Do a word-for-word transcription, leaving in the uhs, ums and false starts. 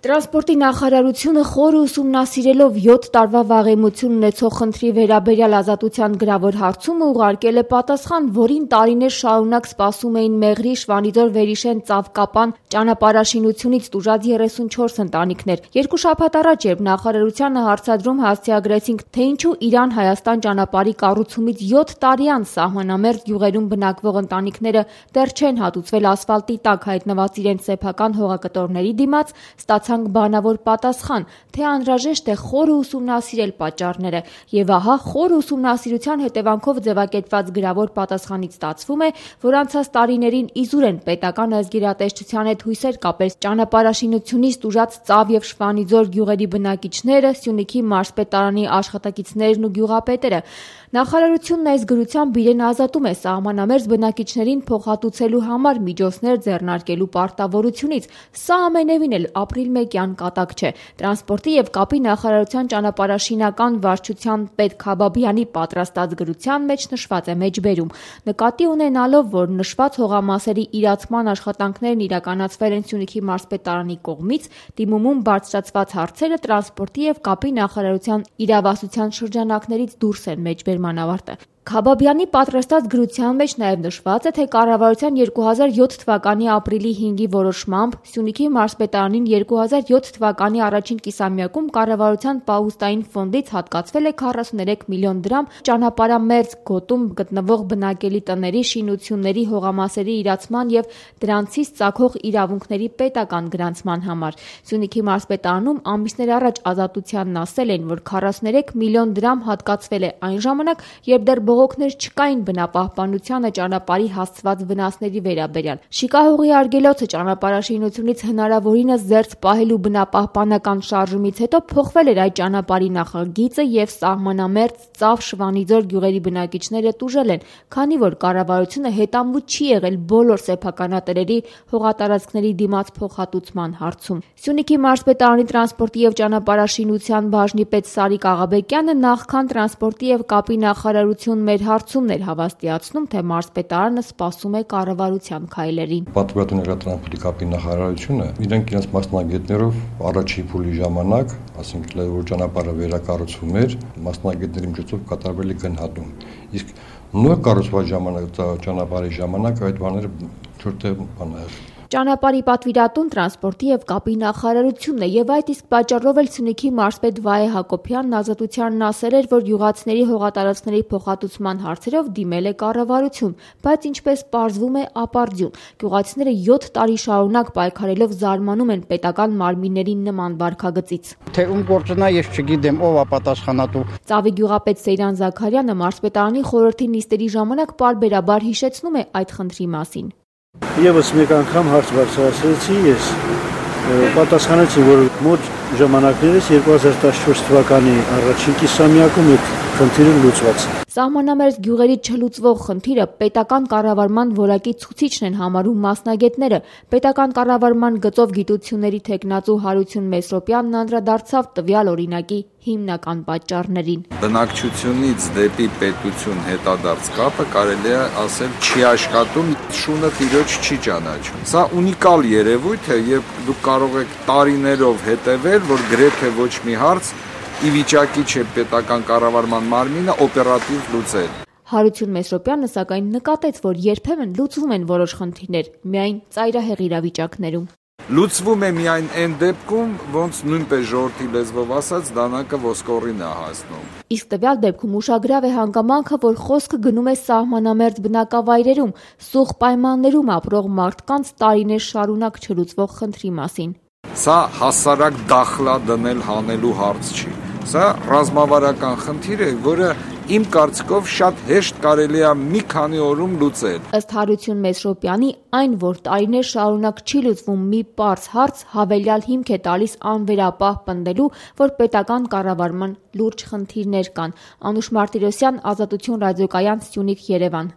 Տրանսպորտի նախարարությունը խորը ուսումնասիրելով յոթ տարվա վաղեմություն ունեցող խնդրի վերաբերյալ ազատության գրավոր հարցումը ուղարկել է պատասխան, որին տարիներ շարունակ սպասում էին Մեղրի, Շվանիձոր, Վերիշեն, Ծավկապան ճանապարհաշինությունից տուժած երեսունչորս ընտանիքներ։ Երկու շաբաթ առաջ, երբ նախարարությանը հարցադրում հասցեագրեցինք, թե ինչու Իրան-Հայաստան ճանապարհի կառուցումից յոթ տարի անց սահմանամերձ գյուղերում բնակվող ընտանիքները դեռ չեն հատուցվել ասֆալտի տակ հայտնված իրենց սեփական հողակտորների դիմաց, ստացանք բանավոր պատասխան, թե անհրաժեշտ է խորը ուսումնասիրել պատճառները, եւ ահա խորը ուսումնասիրության հետևանքով ձևակերպված գրավոր պատասխանից ստացվում է, որ անցած տարիներին իզուր են պետական ազգերատեսչության հետ հույսեր կապել ճանապարհաշինությունից տուժած Ծավ եւ Շվանիձոր գյուղերի բնակիչները, Սյունիքի մարզպետարանի աշխատակիցներն ու գյուղապետերը։ Նախարարությունն այս գրությամբ իրեն ազատում է սահմանամերձ բնակիչներին փոխհատուցելու համար միջոցներ ձեռնարկելու պարտավորությունից։ Սա ամենևին էլ ապրիլ մեկյան կատակ չէ։ Տրանսպորտի եւ կապի նախարարության ճանապարհաշինական վարչության պետ Քաբաբյանի պատրաստած գրության մեջ նշված է մեջբերում, նկատի ունենալով, որ նշված հողամասերի իրացման աշխատանքներն իրականացվել են Սյունիքի մարզպետարանի կողմից, դիմումում բարձրացված հարցերը տրանսպորտի եւ կապի նախարարության իրավասության շրջանակներից դուրս են մեջբերման ավարտը։ Քաբաբյանի պատրաստած գրության մեջ նաև նշված է, թե կառավարության երկու հազար յոթ թվականի ապրիլի հինգի որոշմամբ Սյունիքի մարզպետարանին երկու հազար յոթ թվականի առաջին կիսամյակում կառավարության պահուստային ֆոնդից հատկացվել է քառասուներեք միլիոն դրամ ճանապարհամերձ գոտում գտնվող բնակելի տների, շինությունների, հողամասերի իրացման եւ դրանցից ծագող իրավունքների պետական գրանցման համար։ Սյունիքի մարզպետարանում ամիսներ առաջ Ազատությանն ասել են, որ քառասուներեք միլիոն դրամ հատկացվել է այն ժամանակ, երբ դեռ բողոքներ չկային բնապահպանությանը ճանապարհի հասցված վնասների վերաբերյալ։ Շիկահողի արգելոցը ճանապարհաշինությունից հնարավորինս զերծ պահելու բնապահպանական շարժումից հետո փոխվել էր այդ ճանապարհի նախագիծը եւ սահմանամերձ Ծավ, Շվանիձոր գյուղերի բնակիչները տուժել են, քանի որ կառավարությունը հետամուտ չի եղել բոլոր սեփականատերերի հողատարածքների դիմաց փոխհատուցման հարցում։ Սյունիքի մարզպետարանի տրանսպորտի եւ ճանապարհաշինության բաժնի պետ Սարիկ Աղաբեկյանը նախքան տրանսպորտի եւ կապի նախարարություն մեր հարցումն էր հավաստիացնում, թե մարզպետարանը սպասում է կառավարության քայլերին։ Պատվիրատու տրանսպորտի կապի նախարարությունը իրենք իրենց մասնագետներով առաջի փուլի ժամանակ, ասենք որ ճանապարհը վերակառուցվում էր, մասնագետների միջոցով կատարվել է գնահատում։ Իսկ նոր կառուցված ժամանակ ճանապարհի ժամանակ այդ բաները չորտեղ բան է։ Ճանապարհի պատվիրատուն տրանսպորտի եւ կապի նախարարությունն է եւ այդ իսկ պատճառով էլ Սյունիքի մարզպետ Վահե Հակոբյանն Ազատությանն ասել էր, որ յուղացիների հողատարածքների փոխհատուցման հարցերով դիմել է կառավարություն, բայց ինչպես պարզվում է, ապարդյուն։ Գյուղացիները յոթ տարի շարունակ պայքարելով զարմանում են պետական մարմինների նման վարքագծից։ Թե ում գործնա ես չգիտեմ, ով է պատասխանատու։ Ծավի գյուղապետ Սեյրան Զաքարյանը մարզպետարանի խորհրդի նիստերի ժամանակ պարբերաբար հիշեցնում է այդ խնդրի մասին։ Եվս մեկ անգամ հարց բարձրացրեցի ես, պատասխանեցի, որ մոտ ժամանակներս երկու հազար տասնչորս թվականի առաջին կիսամյակում այդ խնդիրը լուծված է։ Սահմանամերձ գյուղերից չլուծվող խնդիրը պետական կառավարման որակի ցուցիչն են համարում մասնագետները։ Պետական կառավարման գծով գիտությունների թեկնածու Հարություն Մեսրոպյանն անդրադարձավ տվյալ օրինակի հիմնական պատճառներին։ Բնակչությունից դեպի պետություն հետադարձ կապը կարելի է ասել չի աշխատում, շունը տիրոջ չի ճանաչում։ Սա ունիկալ երևույթ է, երբ դուք կարող եք տարիներով հետևել, որ գրեթե ոչ մի հարց ի վիճակի չէ պետական կառավարման մարմինը օպերատիվ լուծել։ Հարություն Մեսրոպյանը սակայն նկատեց, որ երբեմն լուծվում են որոշ խնդիրներ, միայն ծայրահեղ իրավիճակներում։ Լուծվում է միայն այն դեպքում, ոնց նույնպես ժողովրդի լեզվով ասած դանակը ոսկորին է հասնում։ Իսկ տվյալ դեպքում ուշագրավ է հանգամանքը, որ խոսքը գնում է սահմանամերձ բնակավայրերում, սուղ պայմաններում ապրող մարդկանց տարիներ շարունակ չլուծվող խնդրի մասին։ Սա հասարակ դախլա դնել հանելու հարց չի։ Սա ռազմավարական խնդիր է, որը իմ կարծիքով շատ հեշտ կարելի է մի քանի օրում լուծել։ Ըստ Հարություն Մեսրոպյանի, այն, որ տարիներ շարունակ չի լուծվում մի պարզ հարց, հավելյալ հիմք է տալիս անվերապահ պնդելու, որ պետական կառավարման լուրջ խնդիրներ կան։ Անուշ Մարտիրոսյան, Ազատություն ռադիոկայան, Սյունիք, Երևան։